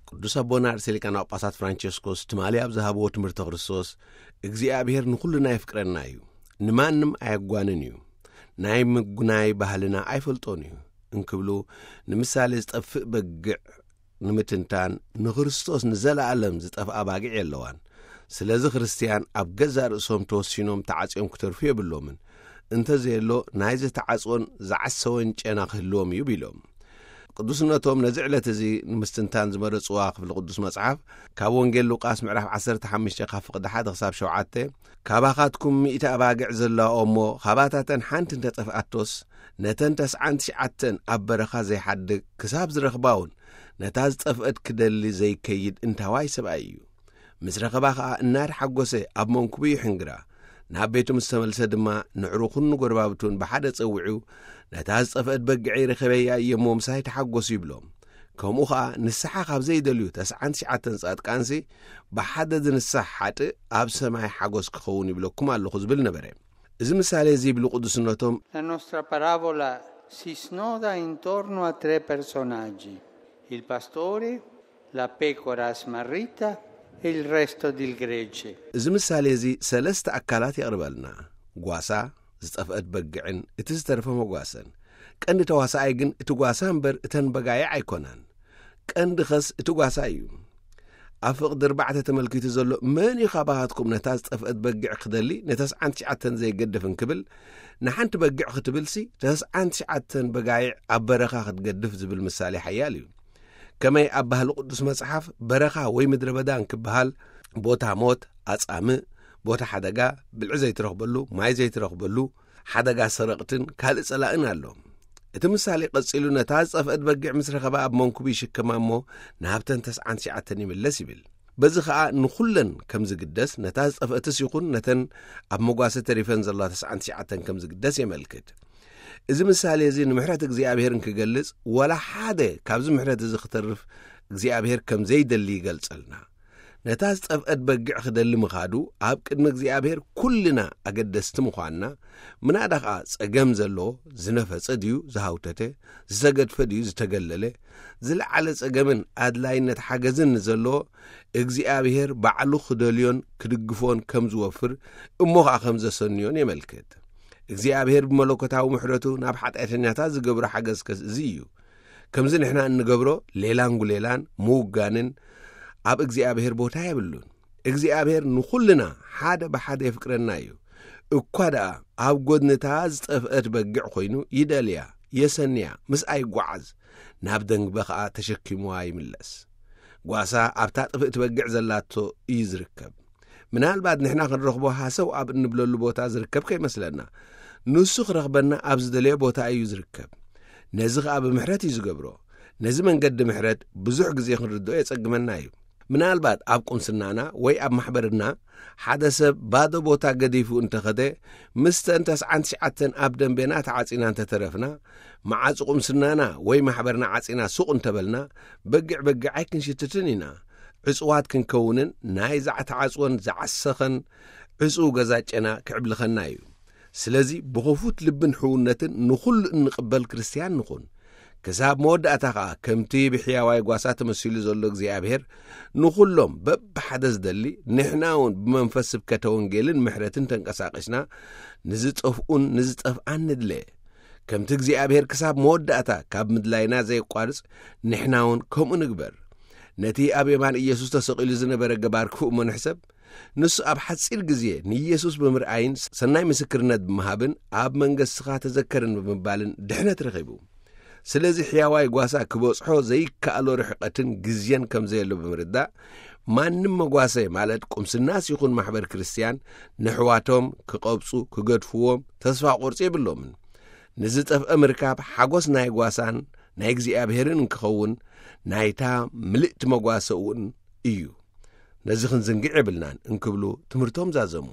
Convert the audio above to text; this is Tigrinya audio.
ቅዱስ ኣቦና ርእሰ ሊቃነ ጳጳሳት ፍራንቸስኮስ ትማሊ ኣብ ዝሃብዎ ትምህርተ ክርስቶስ፣ እግዚኣብሔር ንኹልና የፍቅረና እዩ፣ ንማንም ኣየጓንን እዩ፣ ናይ ምጉናይ ባህልና ኣይፈልጦን እዩ እንክብሉ፣ ንምሳሌ ዝጠፍእ በግዕ ንምትንታን፣ ንክርስቶስ ንዘለኣለም ዝጠፍኣ ባግዕ የለዋን። ስለዚ ክርስትያን ኣብ ገዛእ ርእሶም ተወሲኖም ተዓጽዮም ክተርፉ የብሎምን። እንተዘየሎ ናይዚ ተዓጽወን ዝዓሰወን ጨና ክህልዎም እዩ ቢሎም። ቅዱስነቶም ነዚ ዕለት እዚ ንምስትንታን ዝመረጽዋ ክፍሊ ቅዱስ መጽሓፍ፣ ካብ ወንጌል ሉቃስ ምዕራፍ ዓሰርተ ሓሙሽተ ካብ ፍቕዲ ሓደ ክሳብ ሸውዓተ፣ ካባኻትኩም ሚእቲ ኣባግዕ ዘለዋ እሞ፣ ካባታተን ሓንቲ እንተጠፍኣቶስ፣ ነተን ተስዓን ትሽዓተን ኣብ በረኻ ዘይሓድግ ክሳብ ዝረኽባውን፣ ነታ ዝጠፍአት ክደሊ ዘይከይድ እንታዋይ ሰብኣይ እዩ። ምስ ረኸባ ኸኣ እናተሓጎሰ ኣብ መንኩቡ ይሕንግራ። ናብ ቤቱ ምስ ተመልሰ ድማ ንዕሩኹን ንጎረባብቱን ብሓደ ጸዊዑ፣ "ነታ ዝጠፍአት በግዐይ ረኸበያ እየ እሞ ምሳይ ተሓጎሱ" ይብሎም። ከምኡ ኸኣ ንስሓ ካብ ዘይደልዩ ተስዓን ትሽዓተን ጻድቃንሲ፣ ብሓደ ዝንሳሕ ሓጥእ ኣብ ሰማይ ሓጎስ ክኸውን ይብለኩም ኣለኹ ዝብል ነበረ። እዚ ምሳሌ እዚ ይብሉ ቅዱስነቶም፣ La nostra parabola si snoda intorno a tre personaggi: il pastore, la pecora smarrita e il resto del gregge. እዚ ምሳሌ እዚ ሰለስተ ኣካላት የቕርበልና። ጓሳ፣ ዝጠፍአት በግዕን እቲ ዝተረፈ መጓሰን። ቀንዲ ተዋሳኣይ ግን እቲ ጓሳ እምበር እተን በጋይዕ ኣይኮናን። ቀንዲ ኸስ እቲ ጓሳ እዩ። ኣብ ፍቕዲ ኣርባዕተ ተመልኪቱ ዘሎ፣ "መን እዩ ካባኻትኩም ነታ ዝጠፍአት በግዕ ክደሊ ነተስዓን ትሽዓተን ዘይገድፍ?" እንክብል፣ ንሓንቲ በግዕ ክትብልሲ ተስዓን ትሽዓተን በጋይዕ ኣብ በረኻ ክትገድፍ ዝብል ምሳሌ ሓያል እዩ። ከመይ ኣብ ባህሊ ቅዱስ መጽሓፍ በረኻ ወይ ምድረ በዳ እንክበሃል፣ ቦታ ሞት፣ ኣጻምእ፣ ቦታ ሓደጋ፣ ብልዒ ዘይትረኽበሉ፣ ማይ ዘይትረኽበሉ፣ ሓደጋ ሰረቕትን ካልእ ጸላእን ኣሎ። እቲ ምሳሌ ቀጺሉ፣ ነታ ዝጠፍአት በጊዕ ምስ ረኸባ ኣብ መንኩቡ ይሽከማ እሞ፣ ናብተን ተስዓን ትሽዓተን ይምለስ ይብል። በዚ ኸኣ ንኹለን ከም ዝግደስ፣ ነታ ዝጠፍአትስ ይኹን ነተን ኣብ መጓሰ ተሪፈን ዘለዋ ተስዓን ትሽዓተን ከም ዝግደስ የመልክት። እዚ ምሳሌ እዚ ንምሕረት እግዚኣብሔር እንክገልጽ፣ ወላ ሓደ ካብዚ ምሕረት እዚ ክተርፍ እግዚኣብሔር ከም ዘይደሊ ይገልጸልና። ነታ ዝጠፍአት በጊዕ ክደሊ ምኻዱ ኣብ ቅድሚ እግዚኣብሔር ኩልና ኣገደስቲ ምዃንና፣ ምናዳ ኸኣ ጸገም ዘለዎ ዝነፈጸ ድዩ ዝሃውተተ፣ ዝተገድፈ ድዩ ዝተገለለ፣ ዝለዓለ ጸገምን ኣድላይነት ሓገዝን ንዘለዎ እግዚኣብሔር ባዕሉ ክደልዮን ክድግፎን ከም ዝወፍር እሞ ኸኣ ከም ዘሰንዮን የመልክት። እግዚኣብሔር ብመለኮታዊ ምሕረቱ ናብ ሓጢኣተኛታት ዝገብሮ ሓገዝ ከስ እዚ እዩ። ከምዚ ንሕና እንገብሮ ሌላን ጉሌላን ምውጋንን ኣብ እግዚኣብሔር ቦታ የብሉን። እግዚኣብሔር ንኹልና ሓደ ብሓደ የፍቅረና እዩ። እኳ ደኣ ኣብ ጐድንታ ዝጠፍአት በጊዕ ኾይኑ ይደልያ፣ የሰንያ፣ ምስኣ ይጓዓዝ፣ ናብ ደንግበ ኸኣ ተሸኪምዋ ይምለስ። ጓሳ ኣብታ ጥፍእቲ በጊዕ ዘላቶ እዩ ዝርከብ። ምናልባት ንሕና ክንረኽቦ ሃሰው ኣብ እንብለሉ ቦታ ዝርከብ ከይመስለና፣ ንሱ ክረኽበና ኣብ ዝደለዮ ቦታ እዩ ዝርከብ። ነዚ ኸኣ ብምሕረት እዩ ዝገብሮ። ነዚ መንገዲ ምሕረት ብዙሕ ግዜ ክንርድኦ የጸግመና እዩ። ምናልባት ኣብ ቁምስናና ወይ ኣብ ማሕበርና ሓደ ሰብ ባዶ ቦታ ገዲፉ እንተኸደ፣ ምስተን ተስዓን ትሽዓተን ኣብ ደንቤና ተዓጺና እንተተረፍና፣ መዓጹ ቁምስናና ወይ ማሕበርና ዓጺና ሱቕ እንተበልና፣ በጊዕ በጊዕ ኣይክንሽትትን ኢና። ዕጹዋት ክንከውንን ናይዛ ተዓጽወን ዝዓሰኸን ዕጹው ገዛ ጨና ክዕብልኸና እዩ። ስለዚ ብኽፉት ልብን ሕውነትን ንኹሉ እንቕበል ክርስትያን ንኹን። ክሳብ መወዳእታ ኸኣ ከምቲ ብሕያዋይ ጓሳ ተመሲሉ ዘሎ እግዚኣብሔር ንኹሎም በብሓደ ዝደሊ፣ ንሕና እውን ብመንፈስ ስብከተ ወንጌልን ምሕረትን ተንቀሳቒስና ንዝጠፍኡን ንዝጠፍኣን ንድለ። ከምቲ እግዚኣብሔር ክሳብ መወዳእታ ካብ ምድላይና ዘየቋርጽ፣ ንሕና እውን ከምኡ ንግበር። ነቲ ኣብ የማን ኢየሱስ ተሰቒሉ ዝነበረ ገባር ክፉእ እሞ ንሕሰብ። ንሱ ኣብ ሓጺር ግዜ ንኢየሱስ ብምርኣይን ሰናይ ምስክርነት ብምሃብን ኣብ መንገስኻ ተዘከርን ብምባልን ድሕነት ረኺቡ። ስለዚ ሕያዋይ ጓሳ ክበጽሖ ዘይከኣሎ ርሕቀትን ግዜን ከም ዘየሎ ብምርዳእ፣ ማንም መጓሰ ማለት ቁምስናስ ይኹን ማሕበር ክርስትያን ንሕዋቶም ክቐብጹ፣ ክገድፍዎም ተስፋ ቁርጺ የብሎምን። ንዝጠፍአ ምርካብ ሓጎስ ናይ ጓሳን ናይ እግዚኣብሔርን እንክኸውን ናይታ ምልእቲ መጓሰ እውን እዩ። ነዚ ክንዝንግዕ የብልናን እንክብሉ ትምህርቶም ዛዘሙ።